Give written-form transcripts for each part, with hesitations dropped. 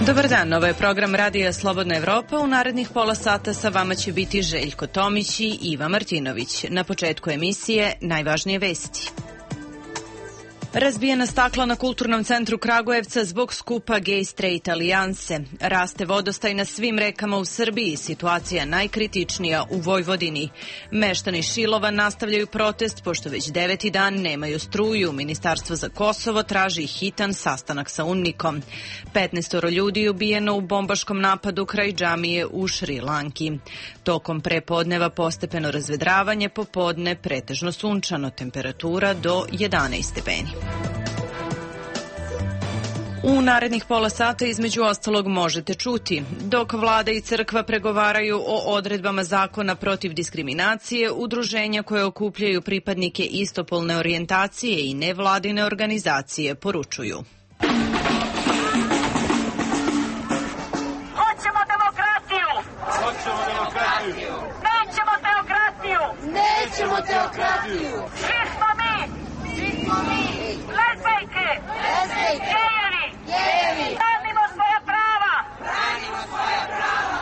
Dobar dan, ovo je program Radija Slobodna Evropa. U narednih pola sata sa vama će biti Željko Tomić i Iva Martinović. Na početku emisije najvažnije vesti. Razbijena stakla na Kulturnom centru Kragujevca zbog skupa Gay Straight alijanse. Raste vodostaj na svim rekama u Srbiji, situacija najkritičnija u Vojvodini. Meštani Šilova nastavljaju protest pošto već 9. dan nemaju struju. Ministarstvo za Kosovo traži hitan sastanak sa UNMIK-om. 15 ljudi ubijeno u bombaškom napadu kraj džamije u Šri Lanki. Tokom prepodneva postepeno razvedravanje, popodne pretežno sunčano, temperatura do 11 stepeni. U narednih pola sata između ostalog možete čuti: dok vlada i crkva pregovaraju o odredbama zakona protiv diskriminacije, udruženja koje okupljaju pripadnike istopolne orijentacije i nevladine organizacije poručuju: Hoćemo demokratiju! Hoćemo demokratiju! Nećemo teokratiju! Nećemo teokratiju! Svi smo mi! Svi smo mi! Lezbejke! Lezbejke! Gejevi! Branimo svoja prava! Branimo svoja prava!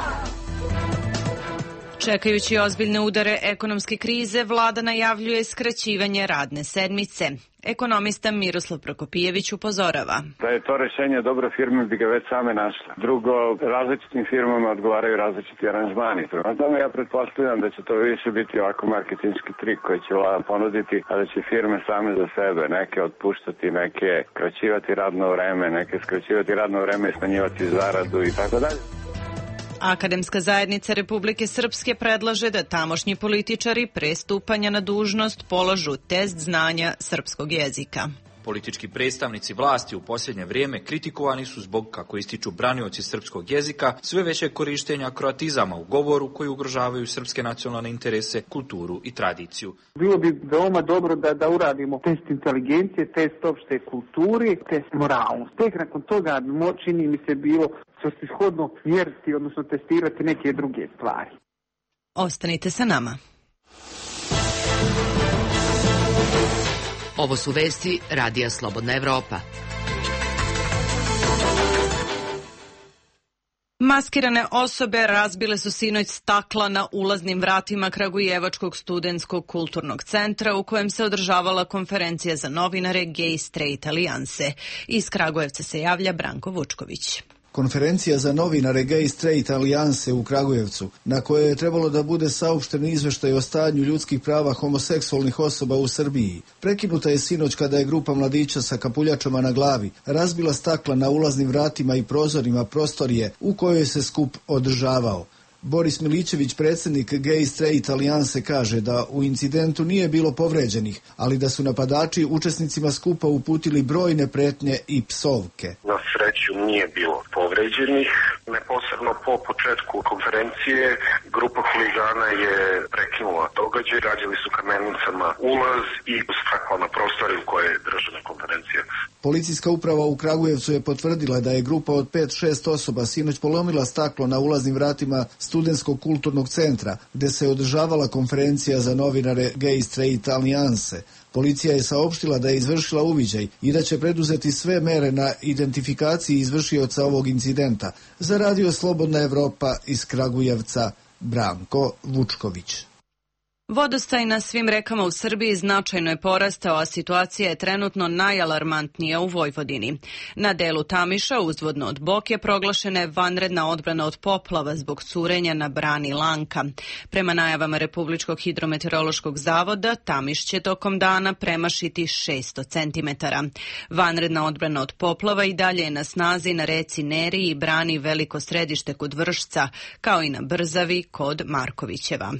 Čekajući ozbiljne udare ekonomske krize, vlada najavljuje skraćivanje radne sedmice. Ekonomista Miroslav Prokopijević upozorava: Da je to rešenje, dobro, firme bi ga već same našle. Drugo, različitim firmama odgovaraju različiti aranžmani. Prema tome ja pretpostavljam da će to više biti ovako marketinški trik koji će vlada ponuditi, a da će firme same za sebe neke otpuštati, neke kraćivati radno vreme, neke skraćivati radno vreme i smanjivati zaradu i tako dalje. Akademska zajednica Republike Srpske predlaže da tamošnji političari pre stupanja na dužnost polažu test znanja srpskog jezika. Politički predstavnici vlasti u posljednje vrijeme kritikovani su zbog, kako ističu branioci srpskog jezika, sve veće korištenja kroatizama u govoru koji ugrožavaju srpske nacionalne interese, kulturu i tradiciju. Bilo bi veoma dobro da uradimo test inteligencije, test opšte kulturi, test moralnosti. Tek nakon toga čini mi se bilo svrsishodno mjeriti, odnosno testirati neke druge stvari. Ostanite sa nama. Ovo su vesti Radija Slobodna Evropa. Maskirane osobe razbile su sinoć stakla na ulaznim vratima Kragujevačkog studentskog kulturnog centra u kojem se održavala konferencija za novinare Gay Straight alijanse. Iz Kragujevca se javlja Branko Vučković. Konferencija za novinare Gay Straight alijanse u Kragujevcu, na kojoj je trebalo da bude saopšten izveštaj o stanju ljudskih prava homoseksualnih osoba u Srbiji, prekinuta je sinoć kada je grupa mladića sa kapuljačama na glavi razbila stakla na ulaznim vratima i prozorima prostorije u kojoj se skup održavao. Boris Milićević, predsjednik Gay Straight alijanse, kaže da u incidentu nije bilo povređenih, ali da su napadači učesnicima skupa uputili brojne pretnje i psovke. Na sreću nije bilo povređenih. Neposredno po početku konferencije grupa huligana je prekinula događaj, rađali su kamenicama ulaz i stakla na prostori u kojoj je držana konferencija. Policijska uprava u Kragujevcu je potvrdila da je grupa od 5-6 osoba sinoć polomila staklo na ulaznim vratima Studentskog kulturnog centra, gde se održavala konferencija za novinare Gay Straight alijanse. Policija je saopštila da je izvršila uviđaj i da će preduzeti sve mere na identifikaciji izvršioca ovog incidenta. Za Radio Slobodna Evropa iz Kragujevca, Branko Vučković. Vodostaj na svim rekama u Srbiji značajno je porastao, a situacija je trenutno najalarmantnija u Vojvodini. Na delu Tamiša, uzvodno od Boke, proglašena je vanredna odbrana od poplava zbog curenja na brani Lanka. Prema najavama Republičkog hidrometeorološkog zavoda, Tamiš će tokom dana premašiti 600 cm. Vanredna odbrana od poplava i dalje je na snazi na reci Neri i brani Veliko Središte kod Vršca, kao i na Brzavi kod Markovićeva.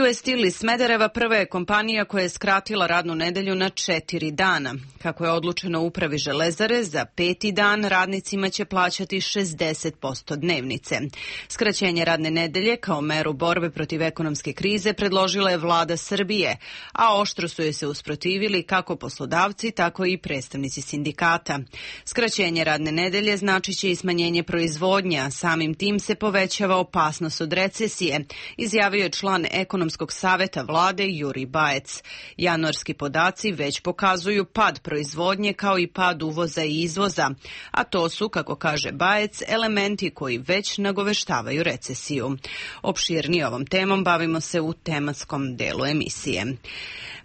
US Steel iz Smedereva prva je kompanija koja je skratila radnu nedelju na 4 dana. Kako je odlučeno u upravi Železare, za 5. dan radnicima će plaćati 60% dnevnice. Skraćenje radne nedelje kao meru borbe protiv ekonomske krize predložila je vlada Srbije, a oštro su joj se usprotivili kako poslodavci, tako i predstavnici sindikata. Skraćenje radne nedelje znači će i smanjenje proizvodnja, samim tim se povećava opasnost od recesije, izjavio je član ekonomske ekonomskog saveta vlade Jurij Bajec. Januarski podaci već pokazuju pad proizvodnje kao i pad uvoza i izvoza, a to su, kako kaže Bajec, elementi koji već nagoveštavaju recesiju. Opširnije ovom temom bavimo se u tematskom delu emisije.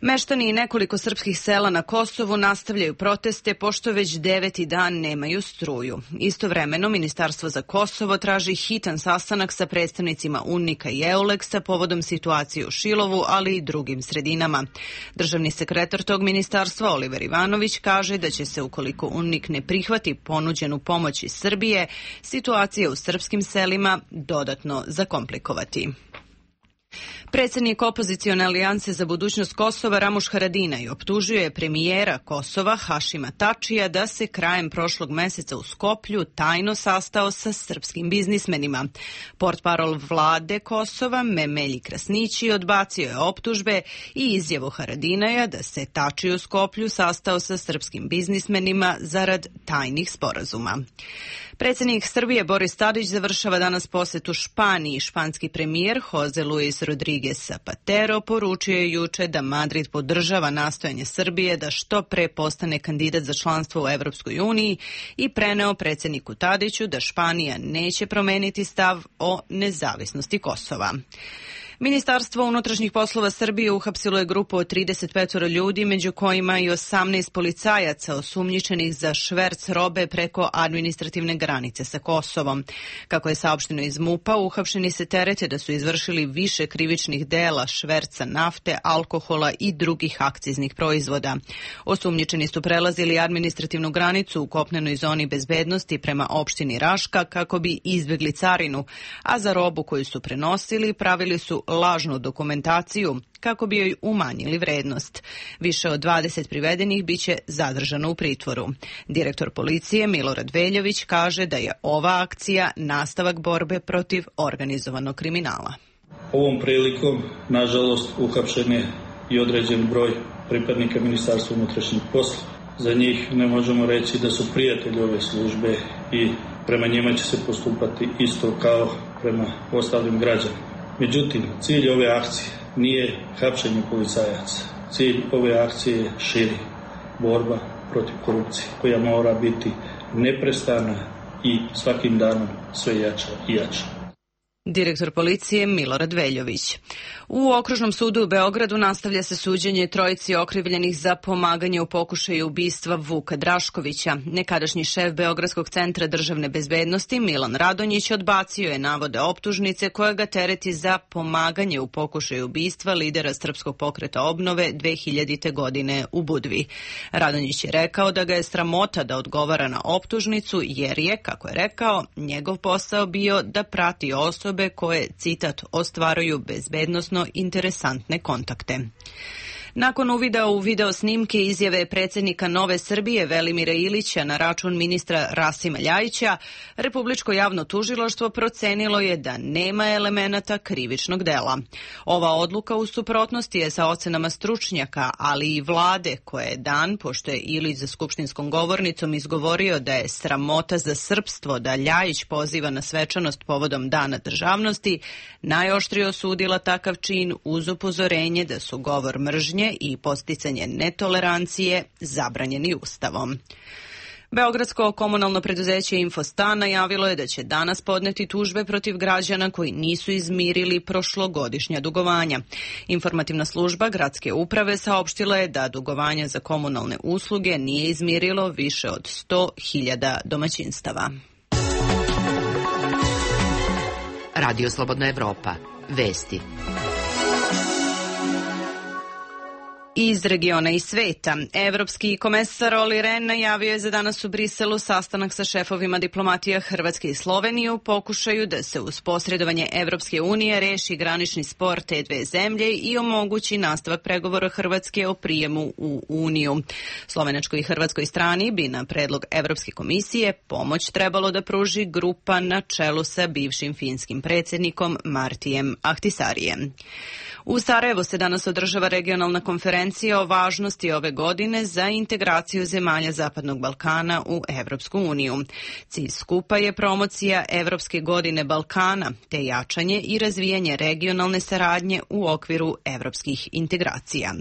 Meštani i nekoliko srpskih sela na Kosovu nastavljaju proteste pošto već 9. dan nemaju struju. Istovremeno, Ministarstvo za Kosovo traži hitan sastanak sa predstavnicima UNMIK-a i EULEX-a povodom situacije u Šilovu, ali i drugim sredinama. Državni sekretar tog ministarstva, Oliver Ivanović, kaže da će se, ukoliko UNMIK ne prihvati ponuđenu pomoć iz Srbije, situacija u srpskim selima dodatno zakomplikovati. Predsjednik opozicione alijanse za budućnost Kosova Ramuš Haradinaj optužio je premijera Kosova Hašima Tačija da se krajem prošlog meseca u Skoplju tajno sastao sa srpskim biznismenima. Portparol vlade Kosova Memelji Krasnići odbacio je optužbe i izjavu Haradinaja da se Tači u Skoplju sastao sa srpskim biznismenima zarad tajnih sporazuma. Predsjednik Srbije Boris Tadić završava danas posjetu Španiji. Španski premijer Jose Luis Rodriguez Zapatero poručio je juče da Madrid podržava nastojanje Srbije da što pre postane kandidat za članstvo u Evropskoj uniji i preneo predsjedniku Tadiću da Španija neće promeniti stav o nezavisnosti Kosova. Ministarstvo unutrašnjih poslova Srbije uhapsilo je grupu od 35 ljudi, među kojima i 18 policajaca osumnjičenih za šverc robe preko administrativne granice sa Kosovom. Kako je saopšteno iz MUP-a, uhapšeni se terete da su izvršili više krivičnih dela šverca nafte, alkohola i drugih akciznih proizvoda. Osumnjičeni su prelazili administrativnu granicu u kopnenoj zoni bezbednosti prema opštini Raška kako bi izbjegli carinu, a za robu koju su prenosili pravili su lažnu dokumentaciju kako bi joj umanjili vrednost. Više od 20 privedenih biće zadržano u pritvoru. Direktor policije Milorad Veljović kaže da je ova akcija nastavak borbe protiv organizovanog kriminala. Ovom prilikom, nažalost, uhapšen je i određen broj pripadnika Ministarstva unutrašnjih poslova. Za njih ne možemo reći da su prijatelji ove službe i prema njima će se postupati isto kao prema ostalim građanima. Međutim, cilj ove akcije nije hapšenje policajaca. Cilj ove akcije je širi, borba protiv korupcije, koja mora biti neprestana i svakim danom sve jača i jača. Direktor policije Milorad Veljović. U Okružnom sudu u Beogradu nastavlja se suđenje trojici okrivljenih za pomaganje u pokušaju ubistva Vuka Draškovića. Nekadašnji šef Beogradskog centra državne bezbednosti Milan Radonjić odbacio je navode optužnice koja ga tereti za pomaganje u pokušaju ubistva lidera Srpskog pokreta obnove 2000. godine u Budvi. Radonjić je rekao da ga je sramota da odgovara na optužnicu jer je, kako je rekao, njegov posao bio da prati osobe koje, citat, ostvaruju bezbednosno interesantne kontakte. Nakon uvida u video snimke izjave predsjednika Nove Srbije Velimira Ilića na račun ministra Rasima Ljajića, Republičko javno tužilaštvo procenilo je da nema elemenata krivičnog dela. Ova odluka u suprotnosti je sa ocenama stručnjaka, ali i vlade koje je dan, pošto je Ilić za skupštinskom govornicom izgovorio da je sramota za srpstvo da Ljajić poziva na svečanost povodom Dana državnosti, najoštrije osudila takav čin uz upozorenje da su govor mržnje i podsticanje netolerancije zabranjeni Ustavom. Beogradsko komunalno preduzeće Infostan najavilo je da će danas podneti tužbe protiv građana koji nisu izmirili prošlogodišnja dugovanja. Informativna služba gradske uprave saopštila je da dugovanja za komunalne usluge nije izmirilo više od 100.000 domaćinstava. Radio Slobodna Evropa. Vesti. Iz regiona i sveta. Evropski komesar Olli Rehn najavio je za danas u Briselu sastanak sa šefovima diplomatija Hrvatske i Slovenije u pokušaju da se uz posredovanje Evropske unije reši granični spor te dve zemlje i omogući nastavak pregovora Hrvatske o prijemu u Uniju. Slovenačkoj i hrvatskoj strani bi na predlog Evropske komisije pomoć trebalo da pruži grupa na čelu sa bivšim finskim predsjednikom Martijem Ahtisarijem. U Sarajevu se danas održava regionalna konferencija konferencije o važnosti ove godine za integraciju zemalja Zapadnog Balkana u Evropsku uniju. Cilj skupa je promocija Evropske godine Balkana, te jačanje i razvijanje regionalne saradnje u okviru evropskih integracija.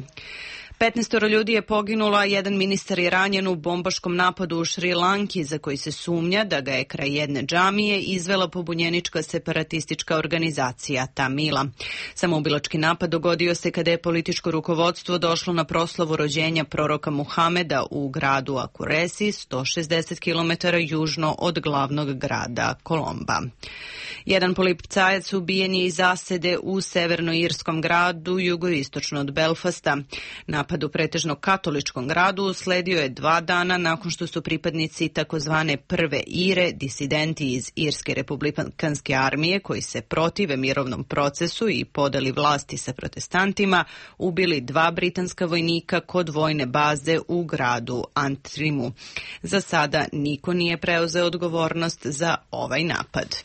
15 ljudi je poginulo, a jedan ministar je ranjen u bombaškom napadu u Šri Lanki, za koji se sumnja da ga je kraj jedne džamije izvela pobunjenička separatistička organizacija Tamila. Samoubilački napad dogodio se kada je političko rukovodstvo došlo na proslavu rođenja proroka Muhameda u gradu Akuresi, 160 km južno od glavnog grada Kolomba. Jedan policajac ubijen je iz zasede u severnoirskom gradu, jugoistočno od Belfasta. Napad u pretežno katoličkom gradu usledio je 2 dana nakon što su pripadnici takozvane Prve Ire, disidenti iz Irske republikanske armije koji se protive mirovnom procesu i podeli vlasti sa protestantima, ubili 2 britanska vojnika kod vojne baze u gradu Antrimu. Za sada niko nije preuzeo odgovornost za ovaj napad.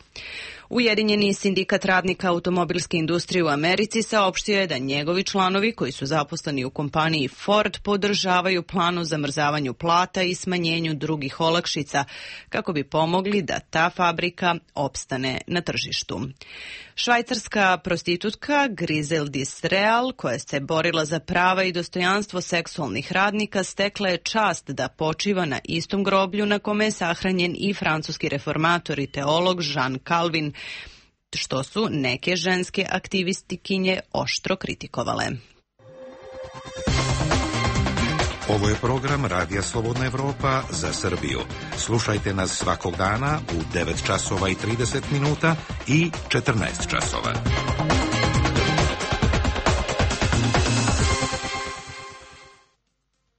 Ujedinjeni sindikat radnika automobilske industrije u Americi saopštio je da njegovi članovi koji su zaposleni u kompaniji Ford podržavaju plan o zamrzavanju plata i smanjenju drugih olakšica kako bi pomogli da ta fabrika opstane na tržištu. Švajcarska prostitutka Griseldis Real, koja se borila za prava i dostojanstvo seksualnih radnika, stekla je čast da počiva na istom groblju na kome je sahranjen i francuski reformator i teolog Jean Calvin, što su neke ženske aktivistikinje oštro kritikovale. Ovo je program Radija Slobodna Evropa za Srbiju. Slušajte nas svakog dana u 9 časova i 30 minuta i 14 časova.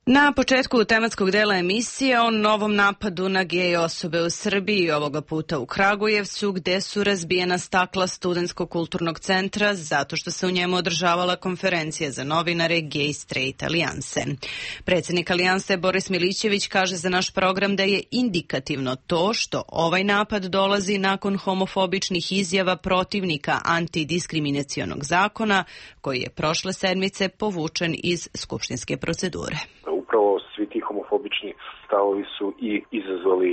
Na početku tematskog dela emisije o novom napadu na gej osobe u Srbiji, ovoga puta u Kragujevcu, gde su razbijena stakla Studentskog kulturnog centra zato što se u njemu održavala konferencija za novinare Gay Straight Alijanse. Predsjednik Alijanse Boris Milićević kaže za naš program da je indikativno to što ovaj napad dolazi nakon homofobičnih izjava protivnika antidiskriminacionog zakona koji je prošle sedmice povučen iz skupštinske procedure. Upravo svi ti homofobični stavovi su i izazvali,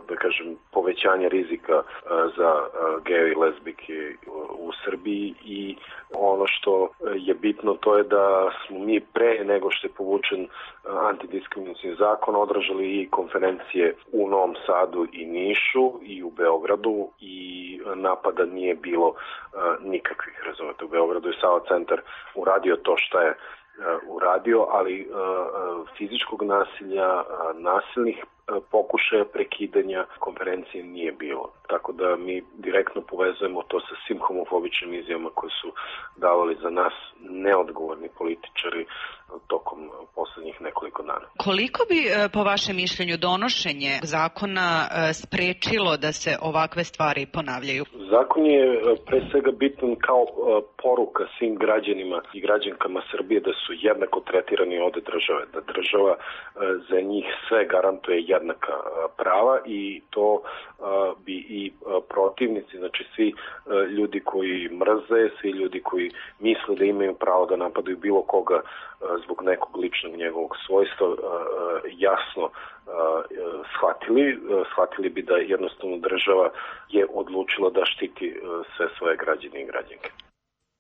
da kažem, povećanje rizika za geje i lezbijke u Srbiji i ono što je bitno to je da smo mi pre nego što je povučen antidiskriminacioni zakon održali i konferencije u Novom Sadu i Nišu i u Beogradu i napada nije bilo nikakvih, razumete. U Beogradu je Sava centar uradio to što je uradio, ali fizičkog nasilja, nasilnih pokušaja prekidanja konferencije nije bilo. Tako da mi direktno povezujemo to sa svim homofobičnim izjavama koje su davali za nas neodgovorni političari tokom poslednjih nekoliko dana. Koliko bi, po vašem mišljenju, donošenje zakona sprečilo da se ovakve stvari ponavljaju? Zakon je pre svega bitan kao poruka svim građanima i građankama Srbije da su jednako tretirani od države, da država za njih sve garantuje jednaka prava i to bi i protivnici, znači svi ljudi koji mrze, svi ljudi koji misle da imaju pravo da napadaju bilo koga zbog nekog ličnog njegovog svojstva jasno shvatili bi da jednostavno država je odlučila da štiti sve svoje građane i građanke.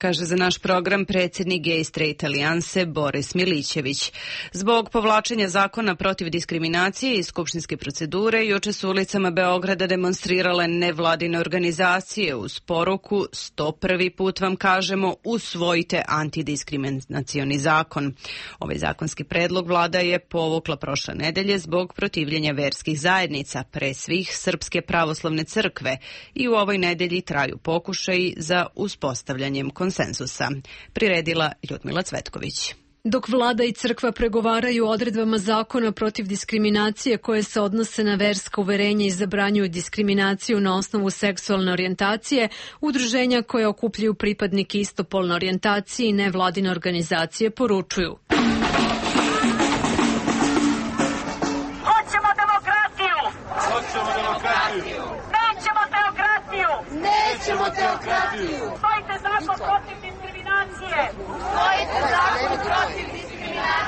Kaže za naš program predsjednik Gay Straight Alijanse Boris Milićević. Zbog povlačenja zakona protiv diskriminacije iz skupštinske procedure, juče su ulicama Beograda demonstrirale nevladine organizacije uz poruku 101. put vam kažemo usvojite antidiskriminacioni zakon. Ovaj zakonski predlog vlada je povukla prošle nedelje zbog protivljenja verskih zajednica, pre svih Srpske pravoslavne crkve, i u ovoj nedelji traju pokušaji za uspostavljanjem konsenzusa. Priredila Ljudmila Cvetković. Dok vlada i crkva pregovaraju o odredbama zakona protiv diskriminacije koje se odnose na verska uverenja i zabranjuju diskriminaciju na osnovu seksualne orijentacije, udruženja koje okupljaju pripadnike istopolne orijentacije i nevladine organizacije poručuju: Hoćemo demokratiju! Hoćemo demokratiju! Nećemo teokratiju! Nećemo teokratiju! Usvojite zakon protiv diskriminacije! Usvojite zakon protiv diskriminacije!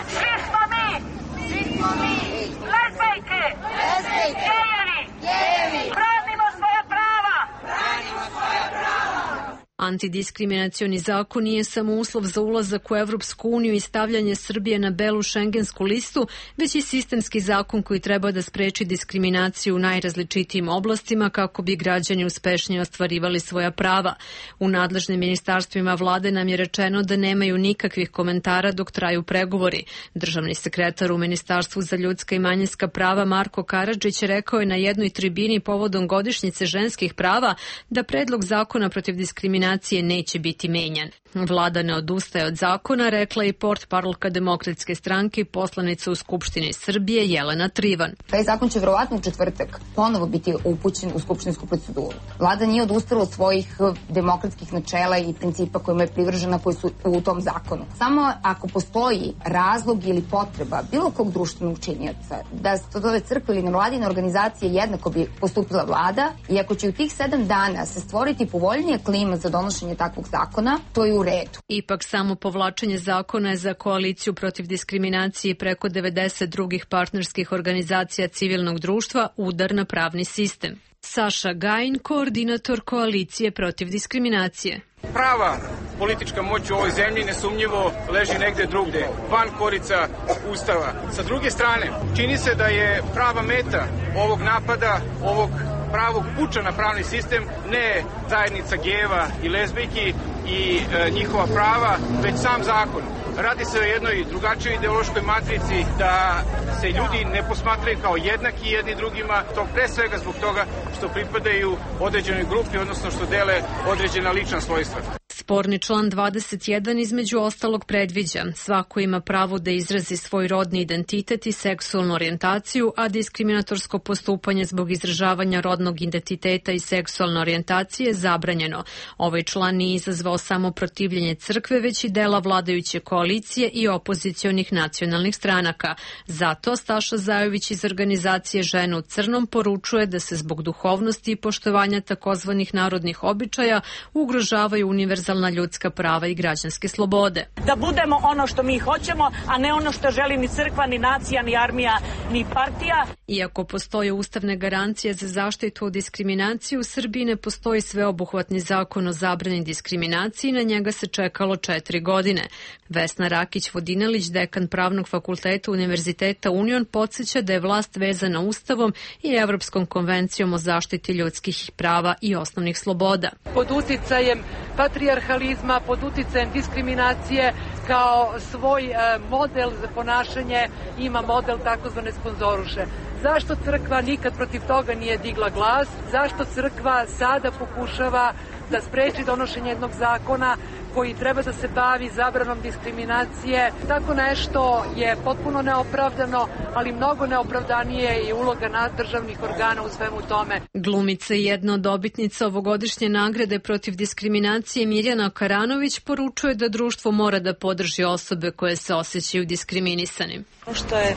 Antidiskriminacioni zakon nije samo uslov za ulazak u Evropsku uniju i stavljanje Srbije na belu šengensku listu, već i sistemski zakon koji treba da spreči diskriminaciju u najrazličitijim oblastima kako bi građani uspešnije ostvarivali svoja prava. U nadležnim ministarstvima vlade nam je rečeno da nemaju nikakvih komentara dok traju pregovori. Državni sekretar u Ministarstvu za ljudska i manjinska prava Marko Karadžić rekao je na jednoj tribini povodom godišnjice ženskih prava da predlog zakona protiv diskriminacije neće biti menjan. Vlada ne odustaje od zakona, rekla i portparolka Demokratske stranke i poslanica u Skupštini Srbije Jelena Trivan. Taj zakon će verovatno u četvrtak ponovo biti upućen u skupštinsku proceduru. Vlada nije odustala od svojih demokratskih načela i principa kojima je privržena koji su u tom zakonu. Samo ako postoji razlog ili potreba bilo kog društvenog činioca da se to zove crkva ili nevladine organizacije, jednako bi postupila vlada, i ako će u tih 7 dana se stvoriti povoljnija klima za donošenje takvog zakona, to je u redu. Ipak samo povlačenje zakona je za koaliciju protiv diskriminacije preko 90 drugih partnerskih organizacija civilnog društva udar na pravni sistem. Saša Gajin, koordinator koalicije protiv diskriminacije. Prava politička moć u ovoj zemlji nesumnjivo leži negde drugde, van korica Ustava. Sa druge strane, čini se da je prava meta ovog napada, ovog pravog puča na pravni sistem, ne zajednica gejeva i lezbijki i njihova prava, već sam zakon. Radi se o jednoj drugačijoj ideološkoj matrici, da se ljudi ne posmatraju kao jednaki jedni drugima, to pre svega zbog toga što pripadaju određenoj grupi, odnosno što dele određena lična svojstva. Sporni član 21 između ostalog predviđa: svako ima pravo da izrazi svoj rodni identitet i seksualnu orijentaciju, a diskriminatorsko postupanje zbog izražavanja rodnog identiteta i seksualne orijentacije je zabranjeno. Ovaj član nije izazvao samo protivljenje crkve, već i dela vladajuće koalicije i opozicionih nacionalnih stranaka. Zato Staša Zajović iz organizacije Žene u crnom poručuje da se zbog duhovnosti i poštovanja takozvanih narodnih običaja ugrožavaju univerzalna ljudska prava i građanske slobode. Da budemo ono što mi hoćemo, a ne ono što želi ni crkva, ni nacija, ni armija, ni partija. Iako postoje ustavne garancije za zaštitu od diskriminacije, u Srbiji ne postoji sveobuhvatni zakon o zabrani diskriminacije i na njega se čekalo 4 godine. Vesna Rakić-Vodinelić, dekan Pravnog fakulteta Univerziteta Union, podsjeća da je vlast vezana Ustavom i Evropskom konvencijom o zaštiti ljudskih prava i osnovnih sloboda. Pod uticajem patrijarhalizma, pod uticajem diskriminacije, kao svoj model za ponašanje ima model takozvane sponzoruše. Zašto crkva nikad protiv toga nije digla glas? Zašto crkva sada pokušava da spreči donošenje jednog zakona koji treba da se bavi zabranom diskriminacije? Tako nešto je potpuno neopravdano, ali mnogo neopravdanije je uloga državnih organa u svemu tome. Glumica i jedna od dobitnica ovogodišnje nagrade protiv diskriminacije Mirjana Karanović poručuje da društvo mora da podrži osobe koje se osjećaju diskriminisanim. Što je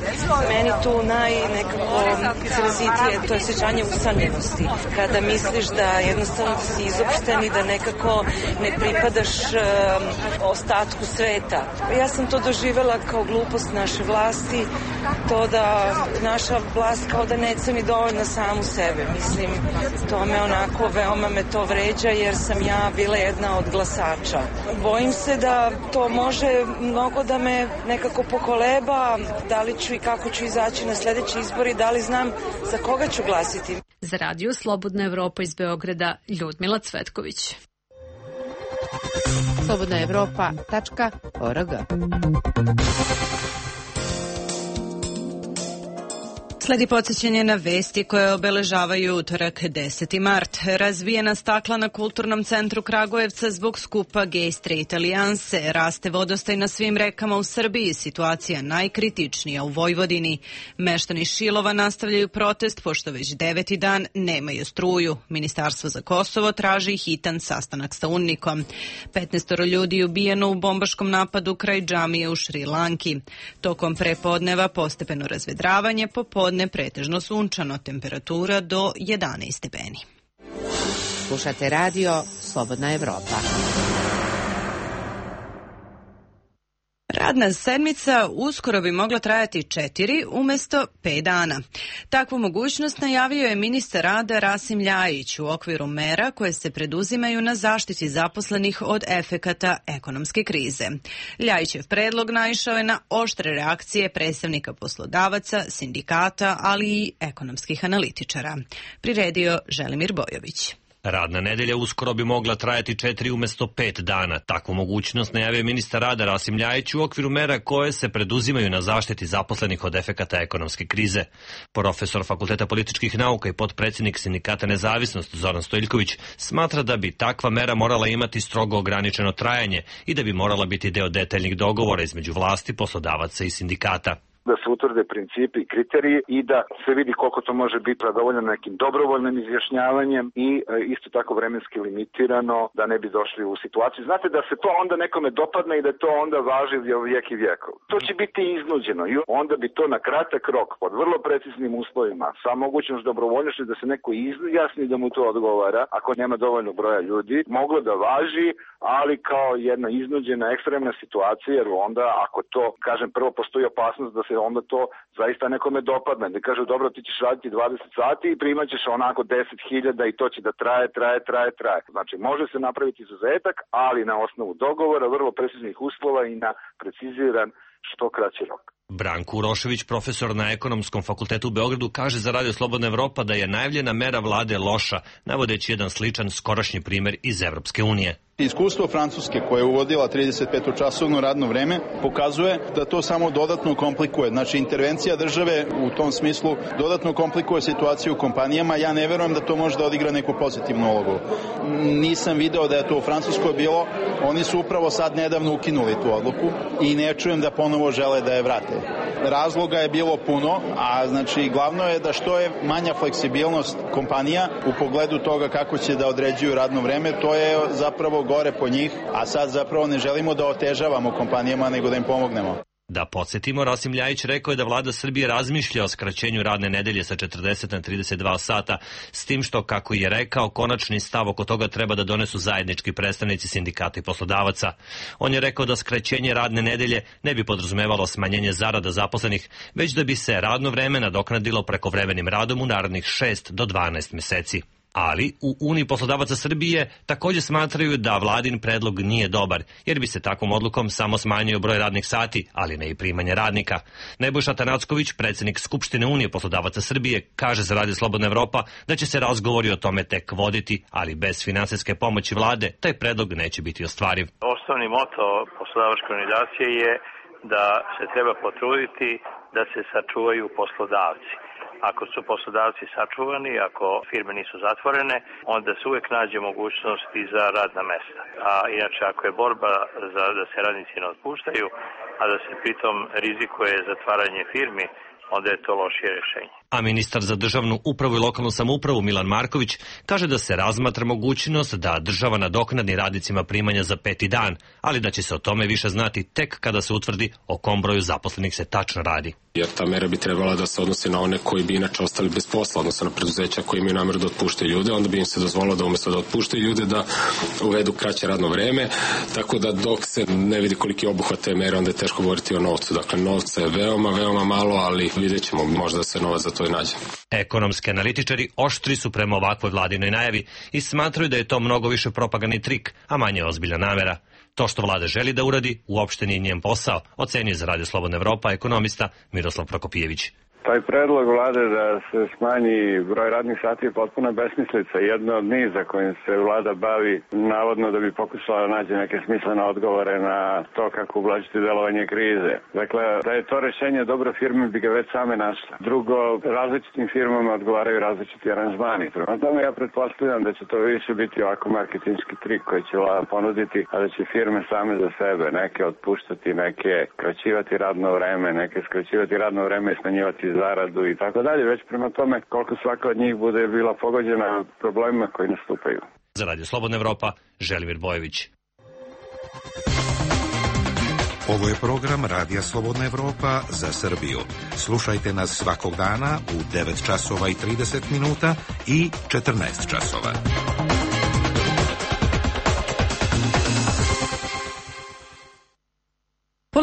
meni tu nekako izrazitije, to je osjećanje usamljenosti. Kada misliš da jednostavno si izopšten i da nekako ne pripadaš ostatku sveta. Ja sam to doživela kao glupost naše vlasti, to da naša vlast kao da ne ceni dovoljno samu sebe. Mislim, to me onako, veoma me to vređa jer sam ja bila jedna od glasača. Bojim se da to može mnogo da me nekako pokoleba, da li ću i kako ću izaći na sledeći izbori, da li znam za koga ću glasiti. Za Radio Slobodna Evropa iz Beograda, Ljudmila Cvetković. slobodnaevropa.org. Sledi podsjećanje na vesti koje obeležavaju utorak 10. mart. Razbijena stakla na Kulturnom centru Kragujevca zbog skupa Gay Straight alijanse. Raste vodostaj na svim rekama u Srbiji. Situacija najkritičnija u Vojvodini. Meštani Šilova nastavljaju protest pošto već 9. dan nemaju struju. Ministarstvo za Kosovo traži hitan sastanak sa UNMIK-om. 15 ljudi ubijeno u bombaškom napadu kraj džamije u Šri Lanki. Tokom prepodneva postepeno razvedravanje, popodne pretežno sunčano, temperatura do 11 stepeni. Slušate radio Slobodna Evropa. Radna sedmica uskoro bi mogla trajati 4 umjesto 5 dana. Takvu mogućnost najavio je ministar rada Rasim Ljajić u okviru mera koje se preduzimaju na zaštiti zaposlenih od efekata ekonomske krize. Ljajićev predlog naišao je na oštre reakcije predstavnika poslodavaca, sindikata, ali i ekonomskih analitičara. Priredio Želimir Bojović. Radna nedelja uskoro bi mogla trajati 4 umjesto 5 dana. Takvu mogućnost najavio je ministar rada Rasim Ljajić u okviru mera koje se preduzimaju na zaštiti zaposlenih od efekata ekonomske krize. Profesor Fakulteta političkih nauka i potpredsjednik Sindikata Nezavisnost Zoran Stojiljković smatra da bi takva mera morala imati strogo ograničeno trajanje i da bi morala biti deo detaljnih dogovora između vlasti, poslodavaca i sindikata. Da se utvrde principi i kriteriji i da se vidi koliko to može biti zadovoljeno nekim dobrovoljnim izjašnjavanjem i isto tako vremenski limitirano da ne bi došli u situaciju. Znate da se to onda nekome dopadne i da to onda važi vijek i vjekov. To će biti iznuđeno i onda bi to na kratak rok pod vrlo preciznim uslovima sa mogućnost dobrovoljnošću da se neko izjasni da mu to odgovara ako nema dovoljno broja ljudi, moglo da važi, ali kao jedna iznuđena ekstremna situacija, jer onda ako to, kažem, prvo postoji opasnost da se onda to zaista nekome dopadne. Da kaže, dobro, ti ćeš raditi 20 sati i primat ćeš onako 10.000 i to će da traje. Znači, može se napraviti izuzetak, ali na osnovu dogovora, vrlo preciznih uslova i na preciziran što kraći rok. Branko Urošević, profesor na Ekonomskom fakultetu u Beogradu, kaže za Radio Slobodna Evropa da je najavljena mera vlade loša, navodeći jedan sličan skorašnji primer iz Evropske unije. Iskustvo Francuske koja je uvodila 35-časovno radno vreme pokazuje da to samo dodatno komplikuje. Znači, intervencija države u tom smislu dodatno komplikuje situaciju u kompanijama. Ja ne verujem da to može da odigra neku pozitivnu ulogu. Nisam video da je to u Francuskoj bilo. Oni su upravo sad nedavno ukinuli tu odluku i ne čujem da ponovo žele da je vrate. Razloga je bilo puno, a znači glavno je da što je manja fleksibilnost kompanija u pogledu toga kako će da određuju radno vreme, to je zapravo gore po njih, a sad zapravo ne želimo da otežavamo kompanijama, nego da im pomognemo. Da podsjetimo, Rasim Ljajić rekao je da vlada Srbije razmišlja o skraćenju radne nedelje sa 40 na 32 sata, s tim što, kako je rekao, konačni stav oko toga treba da donesu zajednički predstavnici sindikata i poslodavaca. On je rekao da skraćenje radne nedelje ne bi podrazumevalo smanjenje zarada zaposlenih, već da bi se radno vreme nadoknadilo prekovremenim radom u narednih 6 do 12 meseci. Ali u Uniji poslodavaca Srbije također smatraju da vladin predlog nije dobar, jer bi se takvom odlukom samo smanjio broj radnih sati, ali ne i primanje radnika. Nebojša Tanacković, predsjednik Skupštine Unije poslodavaca Srbije, kaže za Radio Slobodna Evropa da će se razgovori o tome tek voditi, ali bez finansijske pomoći vlade taj predlog neće biti ostvariv. Osnovni moto poslodavačke organizacije je da se treba potruditi da se sačuvaju poslodavci. Ako su poslodavci sačuvani, ako firme nisu zatvorene, onda se uvijek nađe mogućnosti za radna mesta. A inače, ako je borba da se radnici ne otpuštaju, a da se pritom rizikuje zatvaranje firmi, onda je to lošije rješenje. A ministar za državnu upravu i lokalnu samoupravu Milan Marković kaže da se razmatra mogućnost da država nadoknadi radnicima primanja za 5. dan, ali da će se o tome više znati tek kada se utvrdi o kom broju zaposlenih se tačno radi. Jer ta mera bi trebala da se odnosi na one koji bi inače ostali bez posla, odnosno na preduzeća koji imaju namjeru da otpuštaju ljude, onda bi im se dozvolilo da umjesto da otpuštaju ljude da uvedu kraće radno vreme, tako da dok se ne vidi koliki je obuhvat te mere, onda je teško govoriti o novcu. Dakle, novca je veoma malo, ali vidjet ćemo, možda se novac za to i nađe. Ekonomski analitičari oštri su prema ovakvoj vladinoj najavi i smatraju da je to mnogo više propagandni trik, a manje ozbiljna namera. To što vlada želi da uradi uopšte nije njen posao, ocenio za Radio Slobodna Evropa ekonomista Miroslav Prokopijević. Taj predlog vlade da se smanji broj radnih sati je potpuno besmislica. Jedno od niza kojim se vlada bavi, navodno da bi pokušala da nađe neke smislene odgovore na to kako ublažiti delovanje krize. Dakle, da je to rješenje dobro, firme bi ga već same našle. Drugo, različitim firmama odgovaraju različiti aranžmani. Prema tome ja pretpostavljam da će to više biti ovako marketinški trik koji će vlada ponuditi, a da će firme same za sebe neke otpuštati, neke kraćivati radno vreme, neke skraćivati radno vreme i smanjivati zaradu i tako dalje, već prema tome koliko svaka od njih bude bila pogođena problemima koji nastupaju. Za Radio Slobodna Evropa, Želimir Bojović. Ovo je program Radija Slobodna Evropa za Srbiju. Slušajte nas svakog dana u 9 časova i 30 minuta i 14 časova.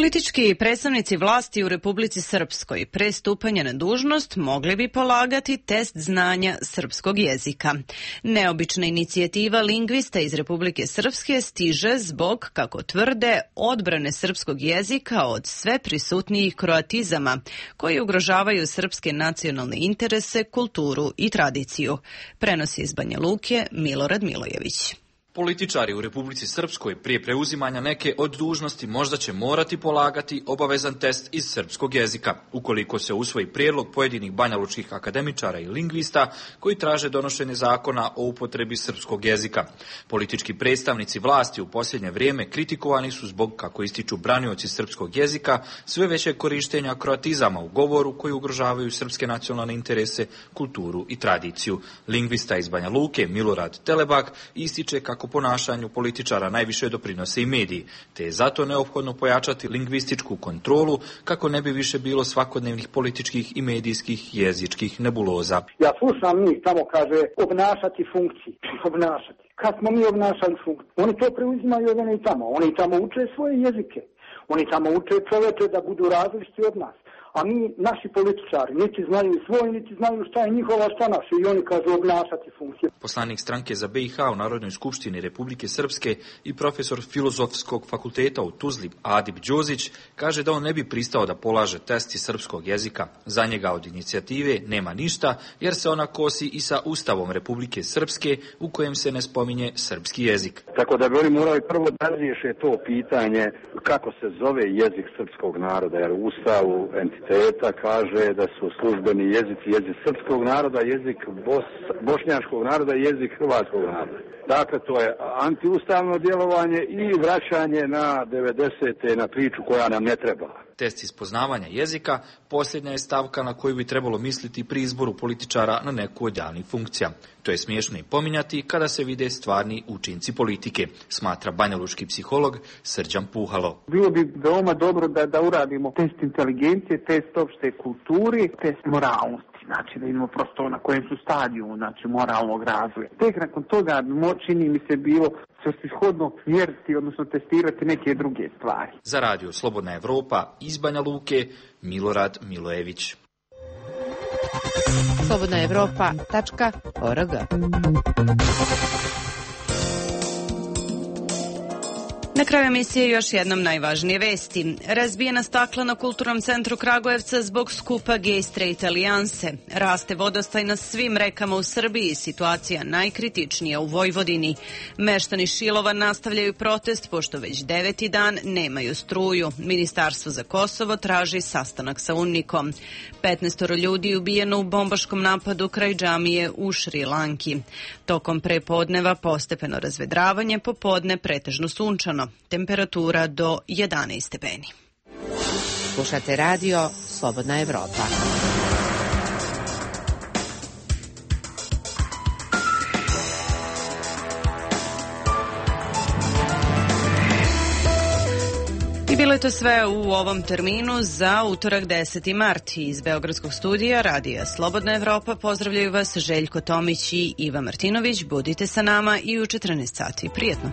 Politički predstavnici vlasti u Republici Srpskoj pre stupanja na dužnost mogli bi polagati test znanja srpskog jezika. Neobična inicijativa lingvista iz Republike Srpske stiže zbog, kako tvrde, odbrane srpskog jezika od sve prisutnijih kroatizama koji ugrožavaju srpske nacionalne interese, kulturu i tradiciju. Prenosi iz Banja Luke Milorad Milojević. Političari u Republici Srpskoj prije preuzimanja neke od dužnosti možda će morati polagati obavezan test iz srpskog jezika, ukoliko se usvoji prijedlog pojedinih banjalučkih akademičara i lingvista koji traže donošenje zakona o upotrebi srpskog jezika. Politički predstavnici vlasti u posljednje vrijeme kritikovani su zbog, kako ističu branioci srpskog jezika, sve veće korištenja kroatizama u govoru koji ugrožavaju srpske nacionalne interese, kulturu i tradiciju. Lingvista iz Banja Luke Milorad Telebak ističe kako ponašanju političara najviše doprinose i mediji, te je zato neophodno pojačati lingvističku kontrolu kako ne bi više bilo svakodnevnih političkih i medijskih jezičkih nebuloza. Ja slušam njih, tamo kaže obnašati funkciji, obnašati. Kad smo mi obnašali funkciju? Oni to preuzimaju od oni tamo. Oni tamo uče svoje jezike. Oni tamo uče čoveče da budu različiti od nas. A mi, naši političari, niti znaju svoj, niti znaju šta je njihova, šta naše. I oni kažu obnašati funkcije. Poslanik stranke za BiH u Narodnoj skupštini Republike Srpske i profesor Filozofskog fakulteta u Tuzli Adib Đozić kaže da on ne bi pristao da polaže test iz srpskog jezika. Za njega od inicijative nema ništa, jer se ona kosi i sa Ustavom Republike Srpske u kojem se ne spominje srpski jezik. Tako da bi oni morali prvo da razriješe to pitanje kako se zove jezik srpskog naroda, jer u Ustavu entiteta kaže da su službeni jezici jezik srpskog naroda, jezik bošnjačkog naroda i jezik hrvatskog naroda. Dakle, to je antiustavno djelovanje i vraćanje na 90. na priču koja nam ne treba. Test iz poznavanja jezika posljednja je stavka na koju bi trebalo misliti pri izboru političara na neku od javnih funkcija. To je smiješno i pominjati kada se vide stvarni učinci politike, smatra banjalučki psiholog Srđan Puhalo. Bilo bi veoma dobro da uradimo test inteligencije, test opšte kulturi, test moralnosti. Znači da vidimo prosto na kojem su stadiju, znači moralnog razvoja. Tek nakon toga čini mi se bilo svrsishodno mjeriti, odnosno testirati neke druge stvari. Za radio Slobodna Evropa iz Banja Luke, Milorad Milojević. slobodnaevropa.org. Na kraju emisije još jednom najvažnije vesti. Razbijena stakla na Kulturnom centru Kragujevca zbog skupa Gay Straight alijanse. Raste vodostaj na svim rekama u Srbiji, situacija najkritičnija u Vojvodini. Meštani Šilova nastavljaju protest pošto već 9. dan nemaju struju. Ministarstvo za Kosovo traži sastanak sa UNMIK-om. 15 ljudi ubijeno u bombaškom napadu kraj džamije u Šri Lanki. Tokom prepodneva postepeno razvedravanje, popodne pretežno sunčano. Temperatura do 11 stepeni. Slušate radio Slobodna Evropa. I bilo je to sve u ovom terminu za utorak 10. mart. Iz Beogradskog studija radija Slobodna Evropa pozdravljaju vas Željko Tomić i Iva Martinović. Budite sa nama i u 14 sati. Prijetno.